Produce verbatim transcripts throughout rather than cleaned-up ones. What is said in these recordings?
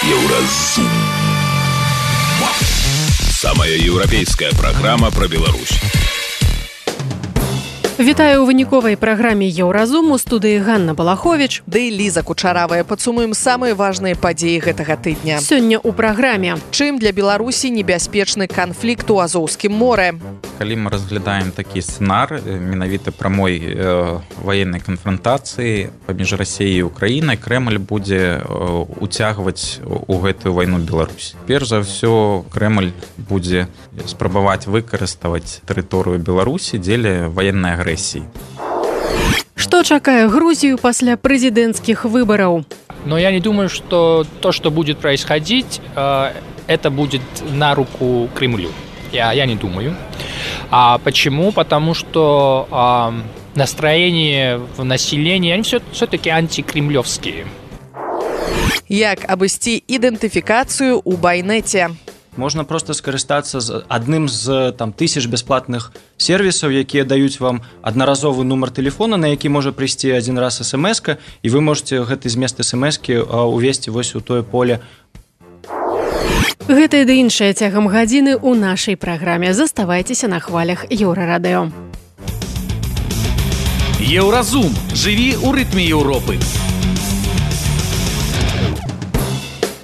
Еўразум. Самая еўрапейская праграма пра Беларусь. Вітаю ў выніковай праграме Еўразум, у студыі Ганна Балахович. Ды Ліза Кучаравая. Падсумуем самыя важныя падзеі гэтага тыдня. Сёння ў праграме. Чым для Беларусі небяспечны канфлікт у Азоўскім моры? Калі мы разглядаем такі сцэнар менавіта прамой э, ваеннай канфрантацыі паміж Расіяй і Украінай, Крэмль будзе э, уцягваць у гэтую вайну Беларусь. Перш за ўсё, Крэмль будзе спрабаваць выкарыставаць тэрыторыю Беларусі дзеля ваеннай агрэсіі. Што чакае Грузію пасля прэзідэнцкіх выбараў? Но я не думаю, что то, что будет происходить, э, это будет на руку Кремлю. Я, я не думаю. А почему? Потому что э, настроения в населении, они все, все-таки антикремлевские. Як абысці ідэнтыфікацыю ў байнеце? Можна просто скарыстацца з адным з там тысяч бясплатных сервісаў, якія даюць вам аднаразовы нумар тэлефона, на які можа прыйсці адзін раз эс-эм-эска, і вы можете гэты змест эс-эм-эскі увесці вось у тое поле. Гэта і ды іншае цягам гадзіны ў нашай праграме. Заставайцеся на хвалях Еўрарадыё. Еўразум. Жыві ў рытме Еўропы.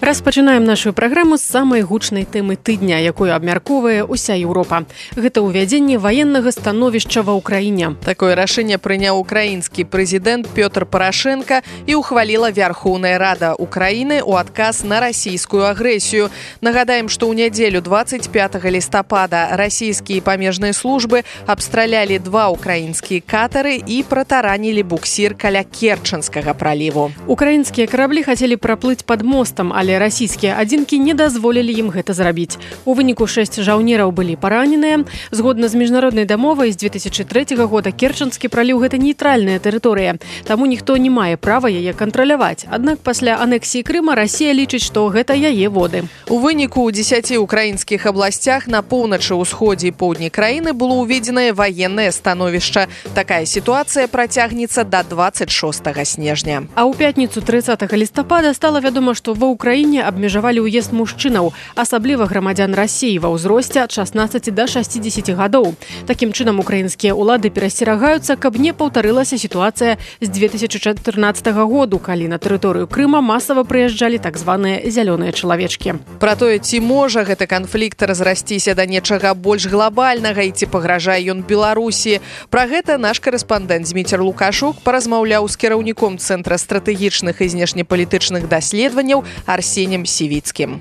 Распачынаем нашу праграму з самай гучнай тэмы тыдня, якую абмяркоўвае ўся Еўропа. Гэта ўвядзенне ваеннага становішча ва ўкраіне. Такое рашэнне прыняў украінскі прэзідэнт Пётр Парашенка і ухваліла Вярхоўная Рада Украіны ў адказ на расійскую агрэсію. Нагадаем, што ў нядзелю дваццаць пятага лістапада расійскія памежныя службы абстралялі два украінскія катары і пратаранілі буксір каля Керчанскага праліву. Украінскія караблі хацелі праплыць пад мостам, але расійскія адзінкі не дазволілі ім гэта зрабіць. У выніку шэсць жаўнераў былі параненыя. Згодна з міжнароднай дамовай з две тысячы трэцяга года Керчанскі праліў гэта нейтральная тэрыторыя, таму ніхто не мае права яе кантраляваць. Аднак пасля анексіі Крыма Расія лічыць, што гэта яе воды. У выніку ў дзесяці украінскіх абласцях на поўначы, ўсходзе і поўдні краіны было ўведзенае ваеннае становішча. Такая сітуацыя працягнецца да дваццаць шостага снежня. А ў пятніцу трыццатага лістапада стала вядома, што ва Украіне абмежавалі ўезд мужчынаў, асабліва грамадзян Расіі ва ўзросце ад шаснаццаці да шасцідзесяці гадоў. Такім чынам украінскія ўлады перасцерагаюцца, каб не паўтарылася сітуацыя з две тысячы чатырнаццатага году, калі на тэрыторыю Крыма масава прыязджалі так званыя зялёныя чалавечкі. Пра тое, ці можа гэты канфлікт разрасціся да нечага больш глобальнага і ці пагражае ён Беларусі. Пра гэта наш корэспандэнт Зміцер Лукашук паразмаўляў з кіраўніком Цэнтра стратэгічных і знешнепалітычных даследаванняў Арсенем Сівіцкім.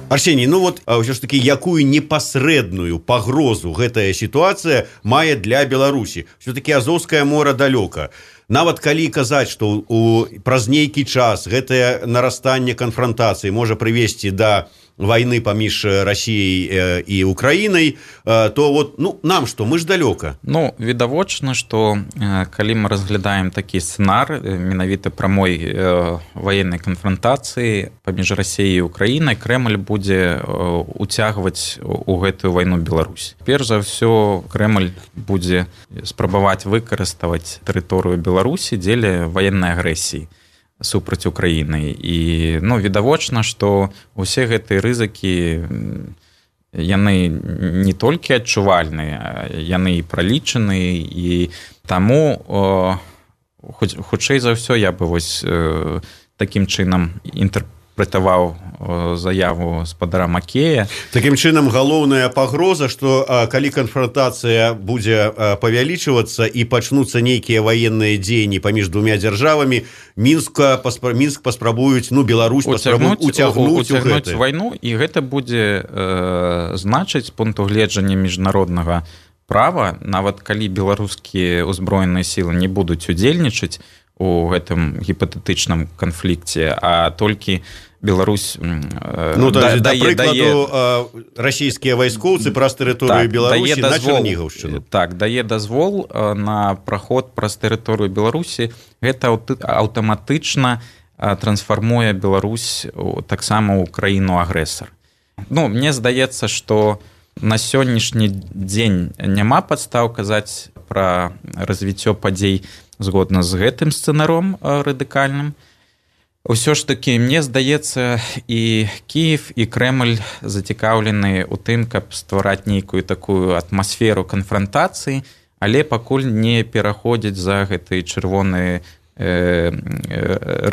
Арсений, ну вот ўсё ж таки, якую непасрэдную пагрозу гэтая сітуацыя мае для Беларусі? Все-таки Азоўскае мора далёка. Нават калі казаць, што у праз нейкі час гэтае нарастанне канфрантацыі можа прывесці да вайны паміж Расіяй і Украінай, то вот, ну, нам што, мы ж далёка. Ну, відавочна, што калі мы разглядаем такі сцэнар менавіта прамой ваеннай канфрантацыі паміж Расіяй і Украінай, Крэмль будзе уцягваць у гэтую вайну Беларусь. Перш за ўсё, Крэмль будзе спрабаваць выкарыставаць тэрыторыю Беларусі дзеля ваеннай агрэсіі супраць Украіны. І, ну, відавочна, што ўсе гэтыя рызыкі, яны не толькі адчувальныя, яны і пралічаны, і таму, о, хутчэй за ўсё, я бы вось э, такім чынам інтэрпрэтаваў заяву спадара Макея. Такім чынам, галоўная пагроза, што калі канфрантацыя будзе павялічвацца і пачнуцца нейкія ваенныя дзеянні паміж двумя дзяржавамі, Мінска, паспра... Мінск паспрабуюць, ну, Беларусь паспрабуюць уцягнуць у гэта. Вайну, і гэта будзе э, значыць з пункту гледжання міжнароднага права, нават калі беларускія ўзброеныя сілы не будуць удзельнічаць у гэтым гіпатэтычным канфлікце, а толькі Беларусь э, ну, да, да, да дае, прыкладу, дае, э, расійскія вайскоўцы праз тэрыторыю так, Беларусі на Чарнігаўшчыну. Так, дае дазвол э, на праход праз тэрыторыю Беларусі. Гэта аўтаматычна э, трансфармуе Беларусь таксама ў краіну-агрэсар. Ну, мне здаецца, што на сённяшні дзень няма падстаў казаць пра развіццё падзей згодна з гэтым сцэнаром э, радыкальным. Усё ж таки, мне здаецца, і Киев, і Крэмль зацікаўлены ў тым, каб ствараць нейкую такую атмасферу канфрантацыі, але пакуль не пераходзіць за гэтыя чырвоныя э,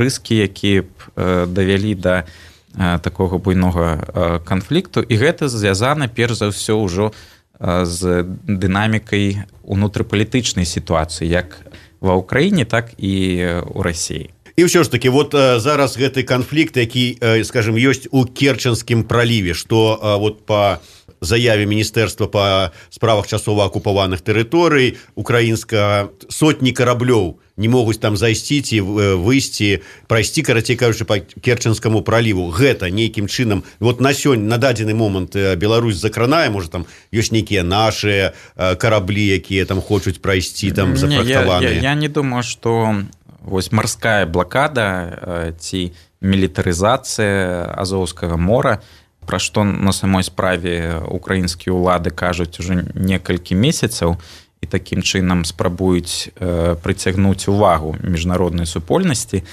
рыскі, якія б э, давялі да э, такога буйнога э, канфлікту. І гэта звязана, перш за ўсё, ўжо э, з дынамікай унутрыпалітычнай сітуацыі, як ва Ўкраіне, так і ў Расіі. І ўсё ж таки, вот зараз гэты канфлікт, які, скажем, ёсць у Керченскім праліве, што вот па заяве Міністэрства па справах часова акупаваных тэрыторый украінска сотні караблёў не могуць там зайсці ці выйсці, прайсці, карацей кажучы, па Керченскаму праліву. Гэта нейкім чынам, вот на сёння, на дадзены момант Беларусь закранае, можа, там ёсць нейкія нашыя караблі, якія там хочуць прайсці, там зафрахтаваныя. Я, я, я не думаю, што вось марская блакада ці мілітарызацыя Азоўскага мора, пра што на самой справе украінскія ўлады кажуць ужо некалькі месяцаў, і такім чынам спрабуюць прыцягнуць увагу міжнароднай супольнасці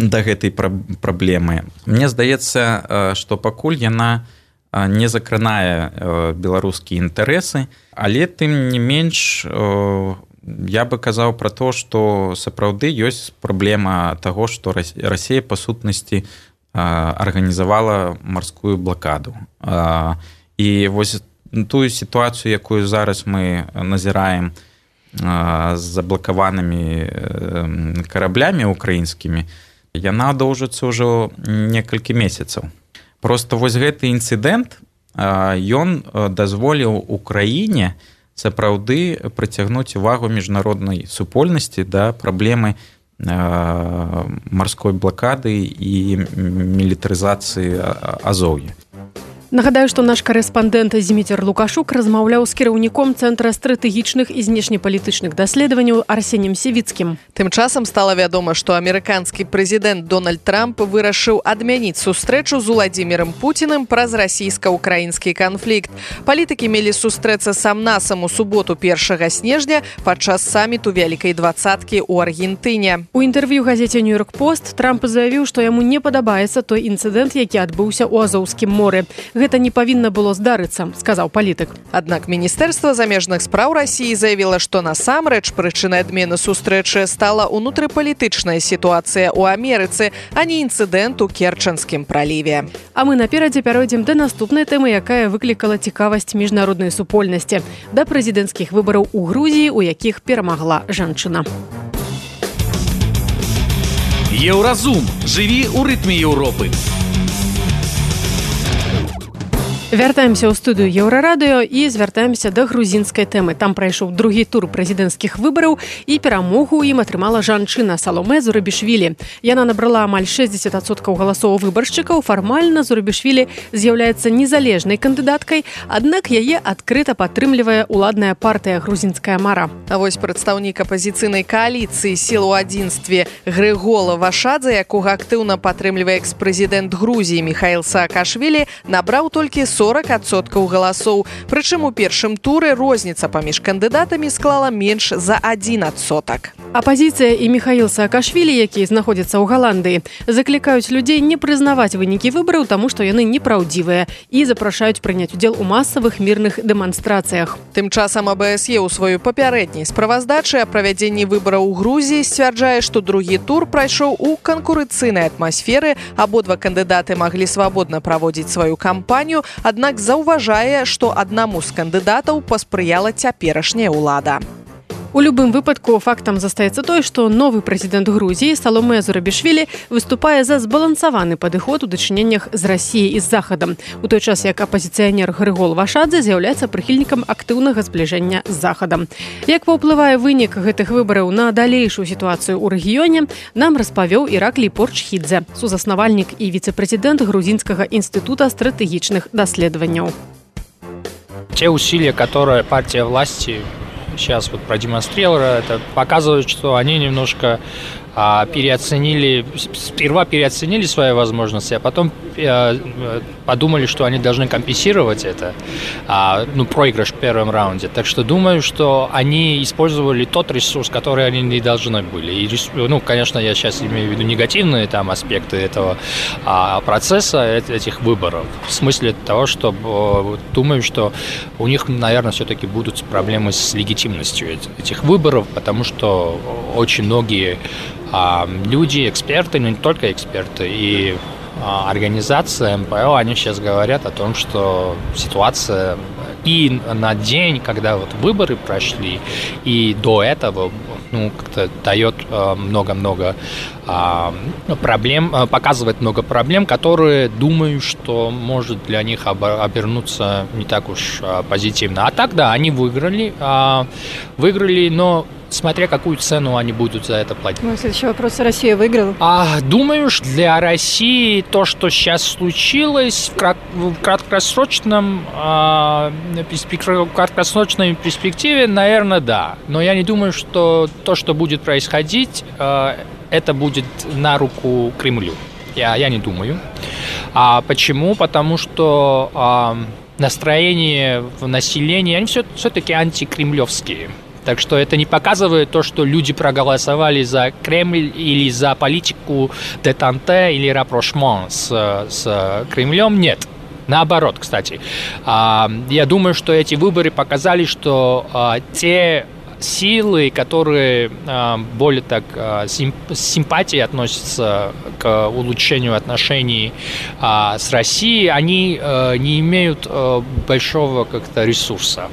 да гэтай праблемы. Мне здаецца, што пакуль яна не закранае беларускія інтарэсы, але тым не менш я бы казаў пра то, што сапраўды ёсць праблема таго, што Расія па сутнасці арганізавала марскую блакаду. І вось тую сітуацыю, якую зараз мы назіраем з заблакаванымі караблямі украінскімі, яна доўжыцца ўжо некалькі месяцаў. Просто вось гэты інцыдэнт, ён дазволіў Украіне сапраўды прыцягнуць увагу міжнароднай супольнасці да праблемы марской блакады і мілітарызацыі Азоўя. Нагадаю, што наш корэспандэнт Зіміцер Лукашук размаўляў з кіраўніком Цэнтра стратэгічных і знешнепалітычных даследаванняў Арсенем Севіцкім. Тым часам стала вядома, што амерыканскі прэзідэнт Дональд Трамп вырашыў адмяніць сустрэчу з Уладзімірам Пуціным праз расійска-украінскі канфлікт. Палітыкі мелі сустрэцца сам-насам у суботу першага снежня падчас саміту Вялікай дваццаткі ў Аргентыне. У інтэрв'ю газеце «Нью-Йорк Пост» Трамп заявіў, што яму не падабаецца той інцыдэнт, які адбыўся ў Азоўскім моры. Гэта не павінна было здарыцца, сказаў палітык. Аднак Міністэрства замежных спраў Расіі заявіла, што насамрэч прычынай адмены сустрэчы стала унутрыпалітычная сітуацыя ў Амерыцы, а не інцыдэнт у Керченскім праліве. А мы наперадзе пяройдзем да наступнай тэмы, якая выклікала цікавасць міжнароднай супольнасці, да прэзідэнцкіх выбараў у Грузіі, у якіх перамагла жанчына. Еўразум. Жыві ў рытме Еўропы. Вяртаемся ў студыю Еўрарадыё і звяртаемся да грузінскай тэмы. Там прайшоў другі тур прэзідэнцкіх выбараў і перамогу ім атрымала жанчына Саломе Зурабішвілі. Яна набрала амаль шэсцьдзесят адсоткаў галасоў выбаршчыкаў. Фармальна Зурабішвілі з'яўляецца незалежнай кандыдаткай, аднак яе адкрыта падтрымлівае ўладная партыя «Грузінская мара». А вось прадстаўнік апазіцыйнай кааліцыі «Сіл у адзінстве» Грыгола Вашадзе, якога актыўна падтрымлівае экс-прэзідэнт Грузіі Міхаіл Саакашвілі, набраў толькі сорок адсоткаў галасоў. Прычым у першым туры розніца паміж кандыдатамі склала менш за адзін адсотак. Апазіцыя і Міхаіл Саакашвілі, які знаходзіцца ў Галандыі, заклікаюць людзей не прызнаваць вынікі выбараў, таму што яны непраўдзівыя, і запрашаюць прыняць удзел у масавых мірных дэманстрацыях. Тым часам АБСЕ ў сваёй папярэдняй справаздачы о правядзенні выбараў у Грузіі сцвярджае, што другі тур прайшоў у канкурэнцыйнай атмасферы, абодва кандыдаты маглі свабодна праводзіць сваю кампанію, аднак заўважае, што аднаму з кандыдатаў паспрыяла цяперашняя ўлада. У любым выпадку фактам застаецца той, што новы прэзідэнт Грузіі Саломе Зурабішвілі выступае за збалансаваны падыход у дачыненнях з Расіяй і з Захадам, у той час як апазіцыянер Грыгол Вашадзе з'яўляецца прыхільнікам актыўнага збліжэння з Захадам. Як паўплывае вынік гэтых выбараў на далейшую ситуацию ў рэгіёне, нам распавёў Ираклий Порчхидзе, сузаснавальнік і віцэ-прэзідэнт Грузинского института стратегичных даследаванняў. Те усилия, которые партия власти сейчас вот продемонстрировала, это показывает, что они немножко переоценили, сперва переоценили свои возможности, а потом подумали, что они должны компенсировать это, ну, проигрыш в первом раунде. Так что думаю, что они использовали тот ресурс, который они не должны были. И, ну, конечно, я сейчас имею в виду негативные там аспекты этого процесса, этих выборов. В смысле того, что думаю, что у них, наверное, все-таки будут проблемы с легитимностью этих выборов, потому что очень многие а, люди, эксперты, но не только эксперты, и а, организации эм пэ о, они сейчас говорят о том, что ситуация и на день, когда вот выборы прошли, и до этого, ну, как-то дает а, много-много а, проблем, показывает много проблем, которые, думаю, что может для них обернуться не так уж а, позитивно. А так, да, они выиграли, а, выиграли, но смотря какую цену они будут за это платить. Мой следующий вопрос. Россия выиграла? А, думаю, что для России то, что сейчас случилось, в, крат- в краткосрочном, а, в краткосрочной перспективе, наверное, да. Но я не думаю, что то, что будет происходить, а, это будет на руку Кремлю. Я, я не думаю. А почему? Потому что а, настроения в населении, они все, все-таки антикремлевские. Так что это не показывает то, что люди проголосовали за Кремль или за политику детанте или рапрошмон с, с Кремлем. Нет. Наоборот, кстати. Я думаю, что эти выборы показали, что те силы, которые более так с симпатией относятся к улучшению отношений с Россией, они не имеют большого как-то ресурса.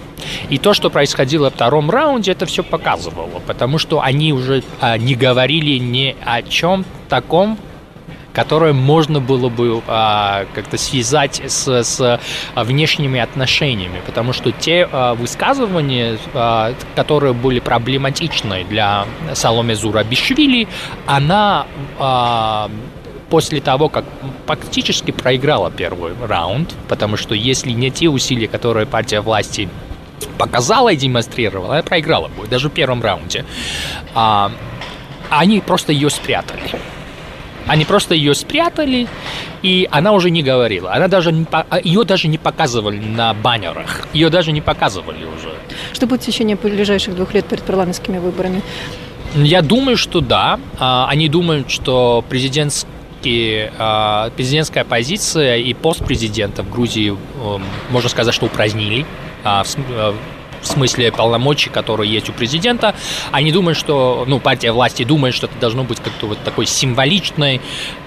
И то, что происходило во втором раунде, это все показывало, потому что они уже не говорили ни о чем таком, которое можно было бы а, как-то связать с, с внешними отношениями, потому что те а, высказывания, а, которые были проблематичны для Саломе Зурабишвили, она а, после того, как фактически проиграла первый раунд, потому что если не те усилия, которые партия власти показала и демонстрировала, она проиграла бы, даже в первом раунде, а, они просто ее спрятали. Они просто ее спрятали, и она уже не говорила. Она даже не, ее даже не показывали на баннерах. Ее даже не показывали уже. Что будет в течение ближайших двух лет перед парламентскими выборами? Я думаю, что да. Они думают, что президентские, президентская позиция и пост президента в Грузии, можно сказать, что упразднили. В смысле полномочий, которые есть у президента. Они думают, что, ну, партия власти думает, что это должно быть как-то вот такой символичной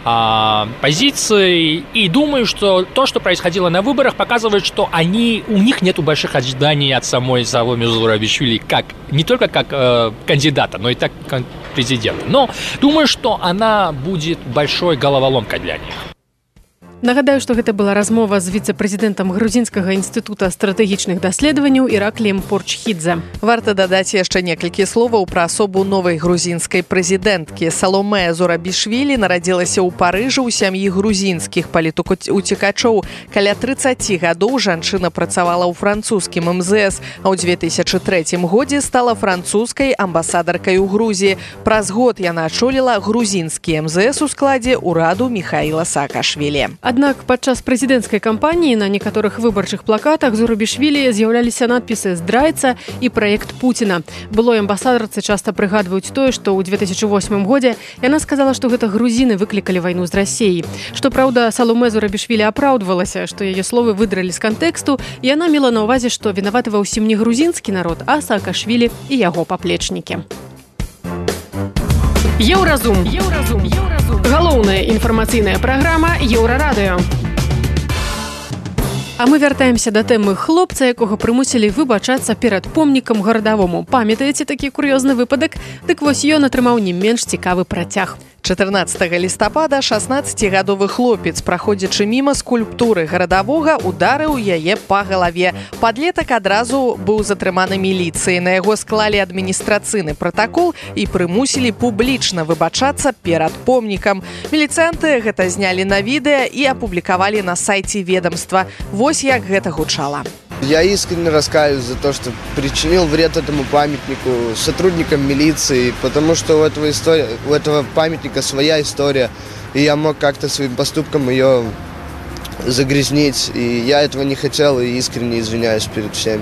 а, позицией. И думаю, что то, что происходило на выборах, показывает, что они, у них нет больших ожиданий от самой Саломе Зурабишвили, как, не только как э, кандидата, но и так как президента. Но думаю, что она будет большой головоломкой для них. Нагадаю, што гэта была размова з віцэ-прэзідэнтам грузінскага інстытута стратэгічных даследаванняў Іракліем Порчхідзе. Варта дадаць яшчэ некалькі словаў пра асобу новай грузінскай прэзідэнткі. Саломе Зурабішвілі нарадзілася ў Парыжы ў сям'і грузінскіх палітуцікачоў. Каля трыццаць гадоў жанчына працавала ў французскім эм зэ эс, а ў две тысячы трэцім годзе стала французскай амбасадаркай у Грузіі. Праз год яна ачоліла грузінскі эм зэ эс у складзе ўраду Міхаіла Саакашвілі. Аднак падчас прэзідэнцкай кампаніі на некаторых выбарчых плакатах Зурабішвілі з'яўляліся надпісы «Здрайца» і «Праект Пуціна». Былой амбасадарцы часта прыгадваюць тое, што ў две тысячы восьмым годзе яна сказала, што гэта грузіны выклікалі вайну з Расіяй. Што праўда, Саломе Зурабішвілі апраўдвалася, што яе словы выдралі з кантэксту, і яна мела на ўвазе, што вінаваты ва ўсім не грузінскі народ, а Саакашвілі і яго паплечнікі. Еўразум. Еўразум. Еўразум. Галоўная інфармацыйная праграма Еўрарадыё. А мы вяртаемся да тэмы хлопца, якога прымусілі выбачацца перад помнікам гарадавому. Памятаеце такі кур'ёзны выпадак? Дык вось ён атрымаў не менш цікавы працяг. чатырнаццатага лістапада шаснаццацігадовы хлопец, праходзячы міма скульптуры гарадавога, ударыў яе па галаве. Падлетак адразу быў затрыманы міліцыяй. На яго склалі адміністрацыйны пратакол і прымусілі публічна выбачацца перад помнікам. Міліцыянты гэта знялі на відэа і апублікавалі на сайце ведамства. Вось як гэта гучала. Я искренне раскаиваюсь за то, что причинил вред этому памятнику сотрудникам милиции, потому что у этого, история, у этого памятника своя история, и я мог как-то своим поступком ее загрязнить, и я этого не хотел, и искренне извиняюсь перед всеми.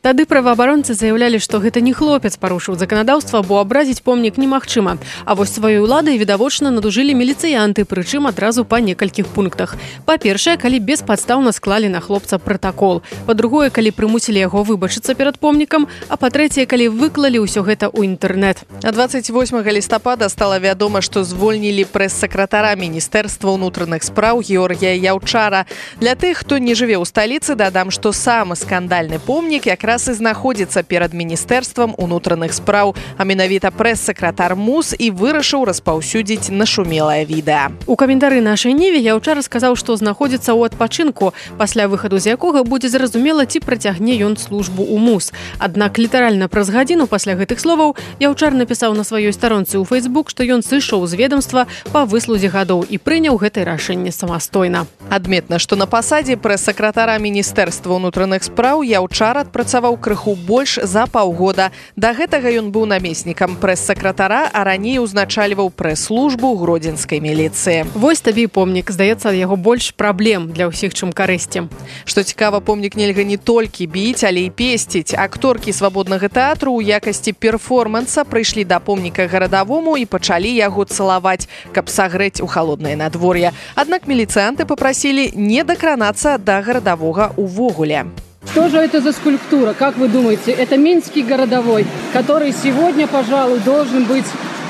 Тады праваабаронцы заявлялі, што гэта не хлопец парушыў заканадаўства, бо абразіць помнік немагчыма. А вось сваёй уладай відавочна надужылі міліцыянты, прычым адразу па некалькіх пунктах. Па-першае, калі беспадстаўна склалі на хлопца пратакол. Па-другое, калі прымусілі яго выбачыцца перад помнікам. А па-трэцяе, калі выклалі ўсё гэта ў інтэрнэт. А двадцать восьмага лістапада стала вядома, што звольнілі прэс-сакратара Міністэрства ўнутраных спраў Георгія Яўчара. Для тых, хто не жыве ў сталіцы, дадам, што самы скандальны помнік якраз раз і знаходзіцца перад Міністэрствам унутраных спраў, а менавіта прэс-сакратар МУС і вырашыў распаўсюдзіць нашумелае відэа. У каментары нашай Ніве Яўчар сказаў, што знаходзіцца ў адпачынку, пасля выхаду з якога будзе зразумела, ці працягне ён службу ў МУС. Аднак літаральна праз гадзіну пасля гэтых словаў Яўчар напісаў на сваёй старонцы ў Фейсбук, што ён сышоў з ведомства па выслузе гадоў і прыняў гэтае рашэнне самастойна. Адметна, што на пасадзе прэс-сакратара Міністэрства ўнутраных спраў Яўчар адпрацаваў крыху больш за паўгода. Да гэтага ён быў намеснікам прэс-сакратара, а раней узначальваў прэс-службу гродзенскай міліцыі. Вось табе і помнік. Здаецца, яго больш праблем для ўсіх, чым карысці. Што цікава, помнік нельга не толькі біць, але і песціць. Акторкі свабоднага тэатру ў якасці перформанса прыйшлі да помніка гарадавому і пачалі яго цалаваць, каб сагрэць у халоднае надвор'е. Аднак міліцыянты папрасілі не дакранацца да гарадавога увогуле. Что же это за скульптура? Как вы думаете? Это Минский городовой, который сегодня, пожалуй, должен быть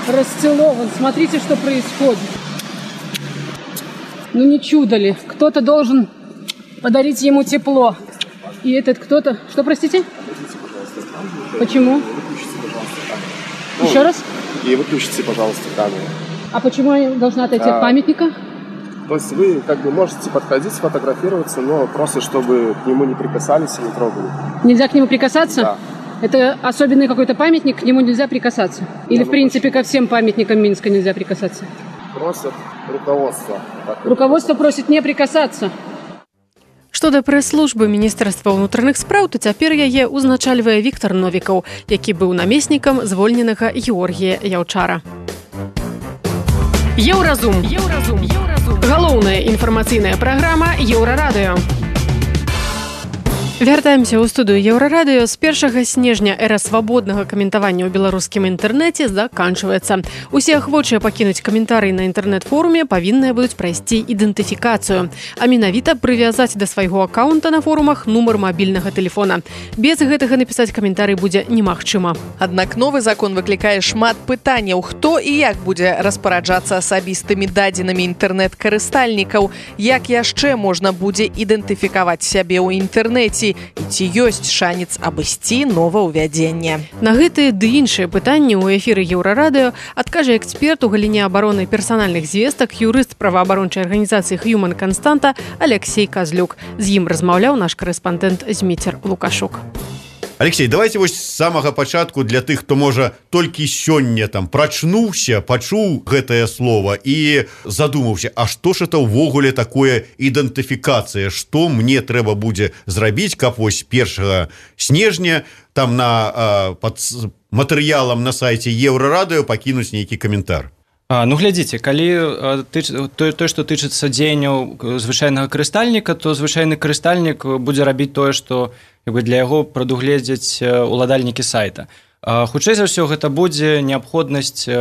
расцелован. Смотрите, что происходит. Ну не чудо ли? Кто-то должен подарить ему тепло. И этот кто-то... Что, простите? Почему? Еще раз? И выключите, пожалуйста, камеру. А почему я должна отойти а... от памятника? То есть вы как бы можете подходить, сфотографироваться, но просто чтобы к нему не прикасались и не трогали. Нельзя к нему прикасаться? Да. Это особенный какой-то памятник, к нему нельзя прикасаться? Или, в принципе, ко всем памятникам Минска нельзя прикасаться? Просят руководство. Руководство просит не прикасаться. Што да прэс-службы Міністэрства ўнутраных спраў, то цяпер яе узначальвае Віктар Новікаў, які быў намеснікам звольненага Георгія Яўчара. Еўразум. Еўразум. Еўразум. Галоўная інфармацыйная праграма Еўрарадыё. Вяртаемся ў студыю Еўрарадыё. З першага снежня эра свабоднага каментавання ў беларускім інтэрнэце заканчваецца. Усе ахвочыя пакінуць каментарый на інтэрнэт-форуме павінныя будуць прайсці ідэнтыфікацыю, а менавіта прывязаць да свайго акаунта на форумах нумар мабільнага тэлефона. Без гэтага напісаць каментарый будзе немагчыма. Аднак новы закон выклікае шмат пытанняў, хто і як будзе распараджацца асабістымі дадзенымі інтэрнэт-карыстальнікаў, як яшчэ можна будзе ідэнтыфікаваць сябе ў інтэрнэце, і ці ёсць шанец абысці новаўвядзенне. На гэтыя ды іншыя пытанні ў эфіры Еўрарадыё адкажа эксперт у галіне абароны персанальных звестак, юрыст праваабарончай арганізацыі Human Константа Алексей Казлюк. З ім размаўляў наш корэспандэнт Зміцер Лукашук. Алексей, давайте вось з самага пачатку для тых, хто можа толькі сёння там прачнуўся, пачуў гэтае слово і задумаўся, а што ж это ўвогуле такое ідэнтыфікацыя, што мне трэба будзе зрабіць, каб вось першага снежня там на а, пад матэрыялам на сайце Еўрарадыё пакінуць нейкі каментар. А, ну, глядзіце, калі тыч, то, то, што тычыцца дзеянняў звычайнага карыстальніка, то звычайны карыстальнік будзе рабіць тое, што для яго прадугледзяць уладальнікі сайта. А, хутчэй за ўсё, гэта будзе неабходнасць,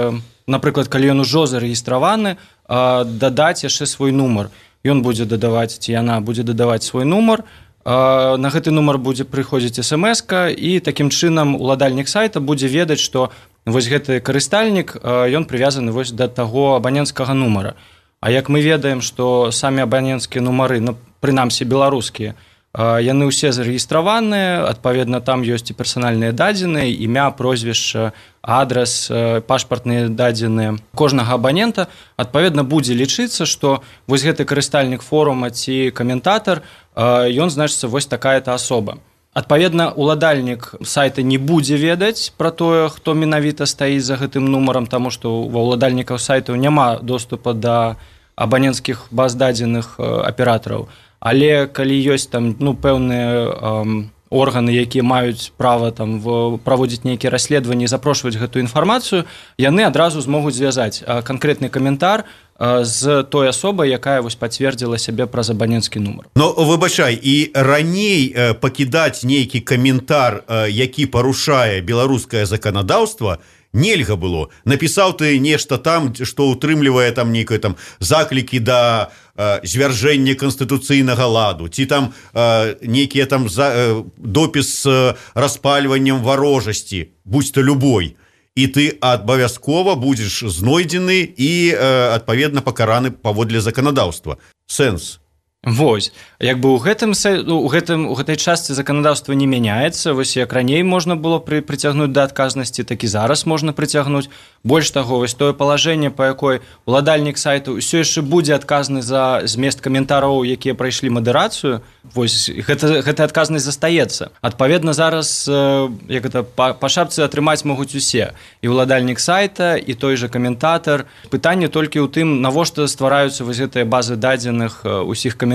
напрыклад, калі ён ужо зарэгістраваны, а, дадаць яшчэ свой нумар. Ён будзе дадаваць, ці яна будзе дадаваць свой нумар, а, на гэты нумар будзе прыходзіць эс-эм-эска, і такім чынам уладальнік сайта будзе ведаць, што вось гэты карыстальнік, ён прывязаны вось да таго абаненцкага нумара. А як мы ведаем, што самі абаненцкія нумары, ну, прынамсі беларускія, яны ўсе зарэгістраваныя, адпаведна, там ёсць і персанальныя дадзеныя, імя, прозвішча, адрас, пашпартныя дадзеныя кожнага абанента, адпаведна, будзе лічыцца, што вось гэты карыстальнік форума ці каментатар, ён, значыцца, вось такая-то асоба. Адпаведна, уладальнік сайта не будзе ведаць пра тое, хто менавіта стаіць за гэтым нумарам, таму што ва ўладальнікаў сайтаў няма доступа да абаненцкіх баз дадзеных аператараў. але калі ёсць там ну пэўныя эм, органы, якія маюць права там праводзіць нейкія расследаванні і запрошваць гэтую інфармацыю, яны адразу змогуць звязаць канкрэтны каментар з той асобай, якая вось пацвердзіла сябе праз абаненцкі нумар. Но выбачай, і раней пакідаць нейкі каментар, які парушае беларускае заканадаўства, нельга было. Напісаў ты нешта там, што ўтрымлівае там нейкае там заклікі да э, звяржэння канстытуцыйнага ладу, ці там э, нейкія там за, э, допіс з распальваннем варожасці, будь то любой. І ты абавязкова будзеш знойдзены і, э, адпаведна, пакараны паводле заканадаўства. Сэнс. Вось, як бы ў гэтым у гэтым у гэтай частцы заканадаўства не мяняецца. Вось як раней можна было пры, прыцягнуць да адказнасці, так і зараз можна прыцягнуць. Больш таго, вось тое палажэнне, па якой уладальнік сайту ўсё яшчэ будзе адказны за змест каментараў, якія прайшлі мадэрацыю. Вось гэта гэтая адказнасць застаецца. Адпаведна зараз як гэта па, па шапцы атрымаць могуць усе, і уладальнік сайта, і той жа каментатар. Пытанне толькі ў тым, навошта ствараюцца вось гэтыя базы дадзеных усіх каментараў.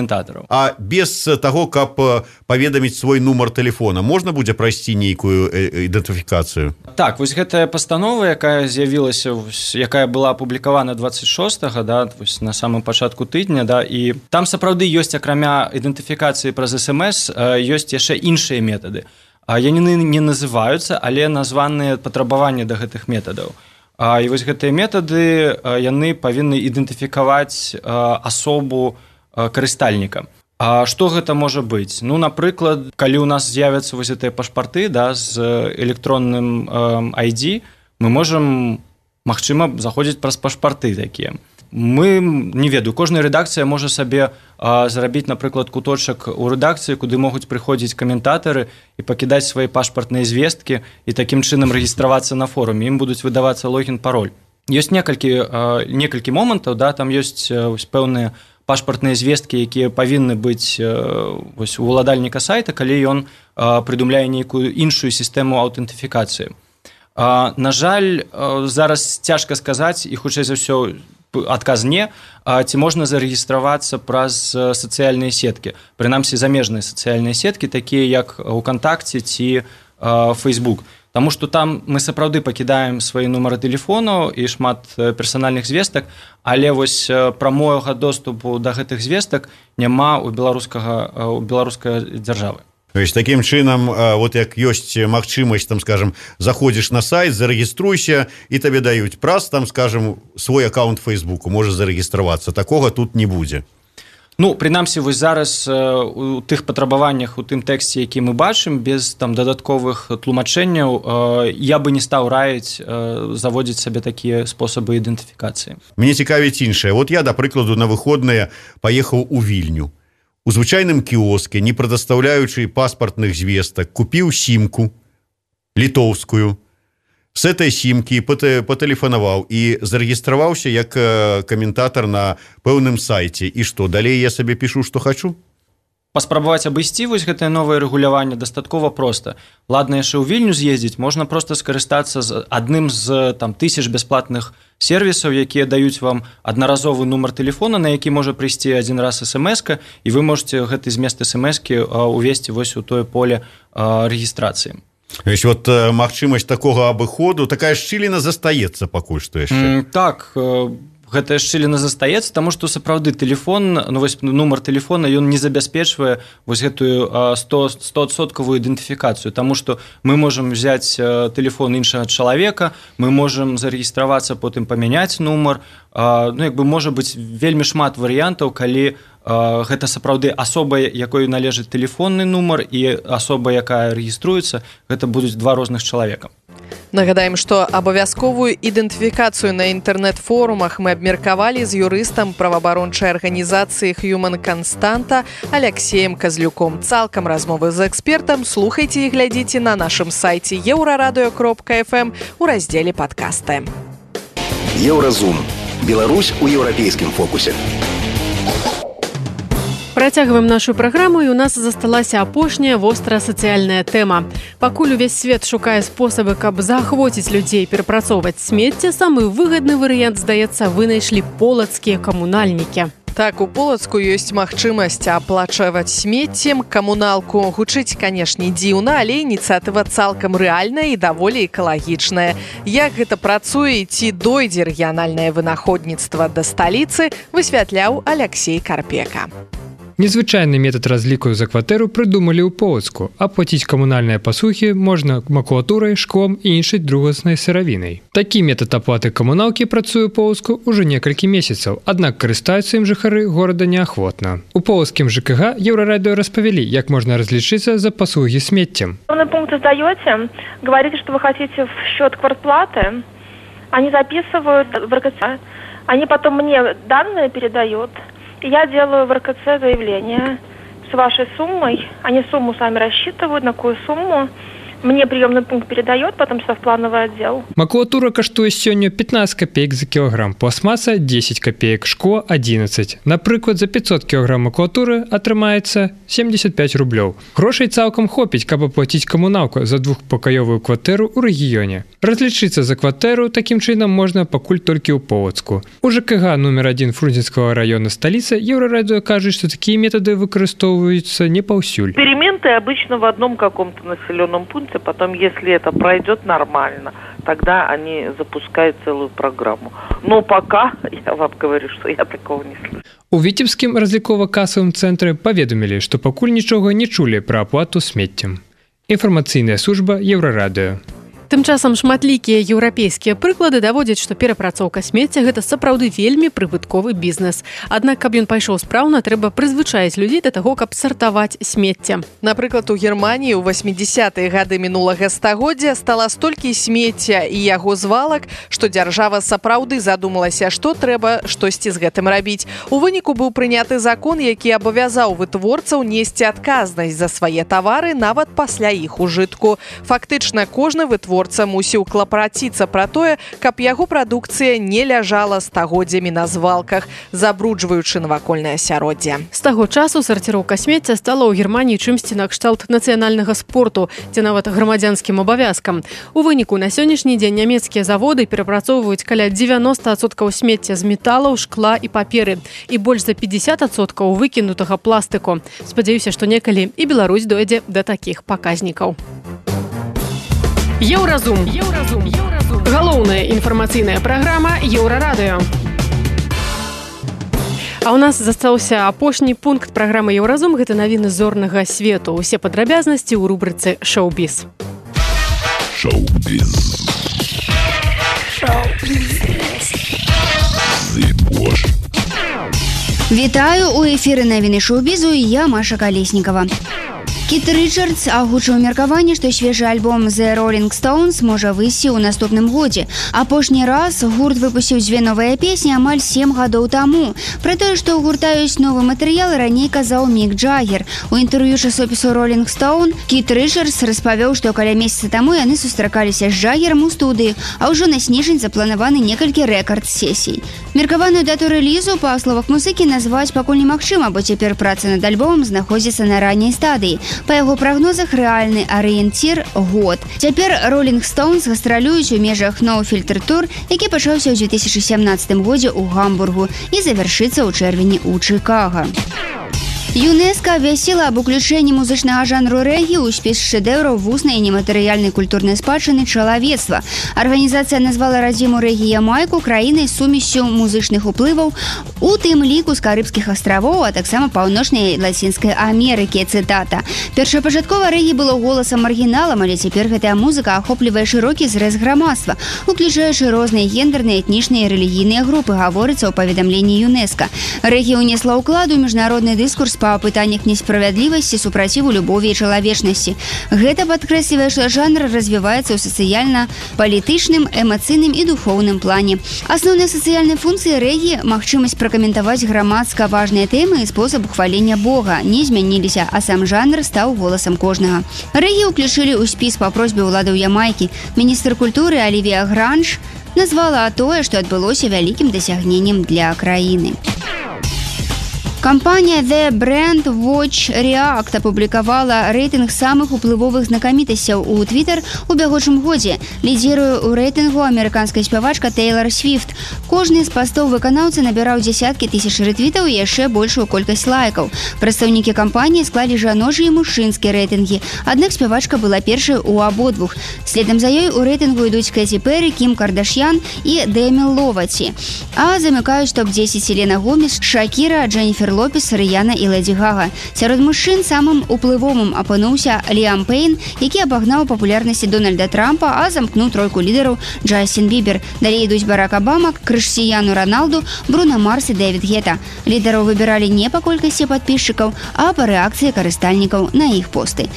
А без таго, каб паведаміць свой нумар тэлефона, можна будзе прайсці нейкую ідэнтыфікацыю? Так, вось гэтая пастанова, якая з'явілася, якая была апублікавана дваццаць шостага, да, вось на самым пачатку тыдня, да, і там сапраўды ёсць, акрамя ідэнтыфікацыі праз эс эм эс, ёсць яшчэ іншыя метады. Яны не называюцца, але названыя патрабаванні да гэтых метадаў. І вось гэтыя метады, яны павінны ідэнтыфікаваць асобу карыстальніка. А што гэта можа быць? Ну, напрыклад, калі ў нас з'явяцца вось гэтыя пашпарты, да, з электронным ай ді, мы можам, магчыма, заходзіць праз пашпарты такія. Мы, не ведаю, кожная рэдакцыя можа сабе а, зрабіць, напрыклад, куточак у рэдакцыі, куды могуць прыходзіць каментатары і пакідаць свае пашпартныя звесткі і такім чынам рэгістравацца на форуме. Ім будуць выдавацца логін-пароль. Ёсць некалькі, а, некалькі момантаў, да, там ёсць вось, пэўныя пашпартныя звесткі, якія павінны быць вось, у уладальніка сайта, калі ён прыдумляе нейкую іншую сістэму аўтэнтыфікацыі. На жаль, зараз цяжка сказаць, і хутчэй за ўсё адказ не, ці можна зарэгістравацца праз сацыяльныя сеткі. Прынамсі, замежныя сацыяльныя сеткі, такія як УКонтакце ці Facebook. Таму што там мы сапраўды пакідаем свае нумары тэлефонаў і шмат персанальных звестак, але вось прамога доступу да гэтых звестак няма ў беларускага у беларускай дзяржавы. То есть такім чынам, вот як ёсць магчымасць, там, скажем, заходзіш на сайт, зарэгіструйся, і табе даюць праз, там, скажем, свой аккаунт Фейсбуку, можа зарэгістравацца. Такога тут не будзе. Ну, прынамсі, вось зараз у тых патрабаваннях, у тым тэксце, які мы бачым, без там дадатковых тлумачэнняў, я бы не стаў раіць заводзіць сабе такія спосабы ідэнтыфікацыі. Мне цікавіць іншае. Вот я, да прыкладу, на выходныя паехаў у Вільню. У звычайным кіоске, не прадастаўляючы паспартных звестак, купіў сімку літоўскую. С этой сімкі патэлефанаваў і зарэгістраваўся як каментатар на пэўным сайце. І што, далей я сабе пішу, што хачу? Паспрабаваць абысці вось гэтае новае рэгуляванне дастаткова проста. Ладна, яшчэ ў Вільню з'ездзіць, можна проста скарыстацца з адным з там тысяч бясплатных сервісаў, якія даюць вам аднаразовы нумар тэлефона, на які можа прыйсці адзін раз эс эм эска, і вы можете гэты змест эс эм эскі увесці вось у тое поле рэгістрацыі. Вось вот магчымасць такога абыходу, такая шчыліна застаецца пакуль што яшчэ. Mm, так, гэтая шчыліна застаецца, таму што сапраўды тэлефон, ну вось нумар тэлефона, ён не забяспечвае вось гэтую сто адсоткавую ідэнтыфікацыю, таму што мы можам взяць тэлефон іншага чалавека, мы можам зарэгістравацца, потым памяняць нумар, ну як бы можа быць вельмі шмат варыянтаў, калі гэта сапраўды асоба, якой належыць тэлефонны нумар, і асоба, якая рэгіструецца, гэта будуць два розных чалавека. Нагадаем, што абавязковую ідэнтыфікацыю на інтэрнэт-форумах мы абмеркавалі з юрыстам праваабарончай арганізацыі Human Constanta Алексеем Казлюком. Цалкам размовы з экспертам слухайце і глядзіце на нашым сайце еўрарадыё кропка эф эм у раздзеле падкасты. Еўразум. Беларусь у еўрапейскім фокусе. Працягваем нашу праграму, і у нас засталася апошняя вострая сацыяльная тэма. Пакуль увесь свет шукае спосабы, каб заахвоціць людзей перапрацоўваць смецце, самы выгадны варыянт, здаецца, вынайшлі полацкія камунальнікі. Так, у Полацку ёсць магчымасць аплачваць смеццем камуналку. Гучыць, канешне, дзіўна, але ініцыятыва цалкам рэальная і даволі экалагічная. Як гэта працуе, ці дойдзе рэгіянальнае вынаходніцтва да сталіцы, высвятляў Алексей Карпека. Незвычайны метад разліку за кватэру прыдумалі ў Полацку. Аплаціць камунальныя пасухі можна макулатурай, шклом і іншай другаснай сыравінай. Такі метад аплаты камуналкі працуе ў Полацку ўжо некалькі месяцаў, аднак карыстаюцца ім жыхары горада неахвотна. У полацкім ЖКГ Еўрарадыё распавялі, як можна разлічыцца за паслугі смеццем. Пункт сдаете, говорите, что вы хотите в счет квартплаты, они записывают в РКЦ, они потом мне данные передают. Я делаю в РКЦ заявление с вашей суммой. Они сумму сами рассчитывают, на какую сумму. Мне приемный пункт передает, потом в плановый отдел. Макулатура каштуе сёння пятнадцать копеек за килограмм, пластмасса десять копеек, шкло одиннадцать. Напрыклад, за пятьсот килограмм макулатуры атрымаецца семьдесят пять рублёў. Грошай цалкам хопіць, каб аплаціць камуналку за двухпакаёвую кватэру ў рэгіёне. Разлічыцца за кватэру такім чынам можна пакуль толькі ў Полацку. У ЖКГ номер один Фрунзенскага района столицы Еўрарадыё кажа, што такія метады выкарыстоўваюцца не паўсюль. Эксперименты обычно в одном каком-то населенном пункте, потом, если это пройдет нормально, тогда они запускают целую программу. Но пока, я вам говорю, что я такого не слышу. У Віцебскім разлікова-касавым цэнтры паведамілі, што пакуль нічога не чулі пра аплату смеццем. Інфармацыйная служба Еўрарадыё. Тым часам шматлікія еўрапейскія прыклады даводзяць, што перапрацоўка смецця – гэта сапраўды вельмі прыбытковы бізнес. Аднак, каб ён пайшоў спраўна, трэба прызвычаіць людзей да таго, каб сартаваць смецце. Напрыклад, у Германіі ў восьмідзесятыя гады мінулага стагоддзя стала столькі смецця і яго звалак, што дзяржава сапраўды задумалася, што трэба штосьці з гэтым рабіць. У выніку быў прыняты закон, які абавязаў вытворцаў несці адказнасць за свае тавары нават пасля іх ужытку. Фактычна, кожны вытворца мусіў клапараціцца пра тое, каб яго прадукцыя не ляжала стагоддзямі на звалках, забруджваючы навакольнае асяроддзе. З таго часу сарціроўка смецця стала ў Германіі чымсьці накшталт нацыянальнага спорту, ці нават грамадзянскім абавязкам. У выніку на сённяшні дзень нямецкія заводы перапрацоўваюць каля дзевяноста адсоткаў смецця з металаў, шкла і паперы і больш за пятьдесят адсоткаў выкінутага пластыку. Спадзяюся, што некалі і Беларусь дойдзе да такіх паказнікаў. Еўразум. Еўразум. Еўразум. Галоўная інфармацыйная праграма Еўрарадыё. А у нас застаўся апошні пункт праграмы Еўразум. Гэта навіны зорнага свету. Усе падрабязнасці ў рубрыцы «Шоу-біз». Шоу-біз. Шоу-біз. Вітаю, у эфіры навіны шоу-бізу і я, Маша Калеснікава. Кіт Річардс агучыў меркаванне, што свежы альбом The Rolling Stones можа выйсці ў наступным годзе. Апошні раз гурт выпусціў дзве новыя песні амаль сем гадоў таму. Пра тое, што ў гурта ёсць новы матэрыял, раней казаў Мік Джаггер. У інтэрв'ю часопісу Rolling Stone Кіт Річардс распавёў, што каля месяца таму яны сустракаліся з Джаггерам у студыі, а ўжо на снежань запланаваны некалькі рэкард-сесій. Меркаваную дату рэлізу, па словах музыкі, назваць пакуль немагчыма, бо цяпер праца над альбомам знаходзіцца на ранняй стадыі. Па яго прагнозах рэальны арыенцір – год. Цяпер Rolling Stones гастралююць у межах No Filter Tour, які пачаўся ў дзве тысячы сямнаццатым годзе ў Гамбургу і завяршыцца ў чэрвені ў Чыкага. ЮНЕСКО абвясціла аб уключэнні музычнага жанру рэгі ў спіс шэдэўраў вуснай і нематэрыяльнай культурнай спадчыны чалавецтва. Арганізацыя назвала радзіму рэгі Ямайку краінай з сумессю музычных уплываў, у тым ліку з Карыбскіх астравоў, а таксама паўночнай Лацінскай Амерыкі, цытата. Першапачаткова рэгі было голасам маргіналам, але цяпер гэтая музыка ахоплівае шырокі зрэз грамадства, уключаючы розныя гендерныя, этнічныя і рэлігійныя групы, гаворыцца ў паведамленні ЮНЕСКО. Рэгі ўнесла ўклад у міжнародны дыскурс па пытаннях несправядлівасці, супраціву любові і чалавечнасці. Гэта падкрэслівае, што жанр развіваецца ў сацыяльна-палітычным, эмацыйным і духоўным плане. Асноўныя сацыяльныя функцыі рэгі – магчымасць пракаментаваць грамадска важныя тэмы і спосаб ухвалення Бога не змяніліся, а сам жанр стаў голасам кожнага. Рэгі ўключылі ў спіс па просьбе ўладаў Ямайкі. Міністр культуры Алівія Гранж назвала тое, што адбылося вялікім дасягненнем для краіны. Кампанія The Brand Watch React апублікавала рэйтынг самых уплывовых знакамітасцяў у Twitter у бягучым годзе. Лідзіруе ў рэйтынгу амерыканская спявачка Тейлор Свіфт. Кожны з пастоў выканаўцы набіраў дзесяткі тысяч рэтвітаў і яшчэ большую колькасць лайкаў. Прадстаўнікі кампаніі склалі жаночыя і мужчынскія рэйтынгі, аднак спявачка была першай у абодвух. Следам за ёй у рэйтынгу ідуць Кэці Перрі, Кім Кардашьян і Дэмі Ловаці. А замыкаюць топ дзесяць Селена Гомес, Шакіра, Дженніфер Лопес, Рыяна і Лэдзі Гага. Сярод мужчын самым уплывовым апынуўся Ліам Пэйн, які абагнаў папулярнасці Дональда Трампа, а замкнуў тройку лідараў Джастин Бібер. Далей ідуць Барак Абама, Крыштіяну Роналду, Бруно Марс і Дэвід Гета. Лідараў выбіралі не па колькасці падпісчыкаў, а па рэакцыі карыстальнікаў на іх посты.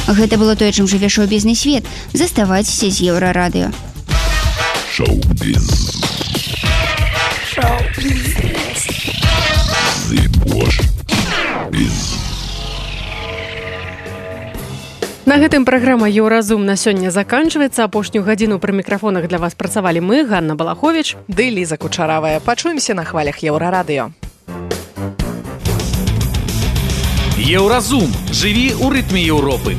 Гэта было тое, чым жыве шоу-бізнес-свет. Заставайцеся з Еўрарадыё. Шоу-біз. На гэтым праграма «Еўразум» на сёння заканчваецца. Апошнюю гадзіну пры мікрафонах для вас працавалі мы, Ганна Балахович ды Ліза Кучаравая. Пачуемся на хвалях Еўрарадыё. Еўразум. Жыві ў рытме Еўропы.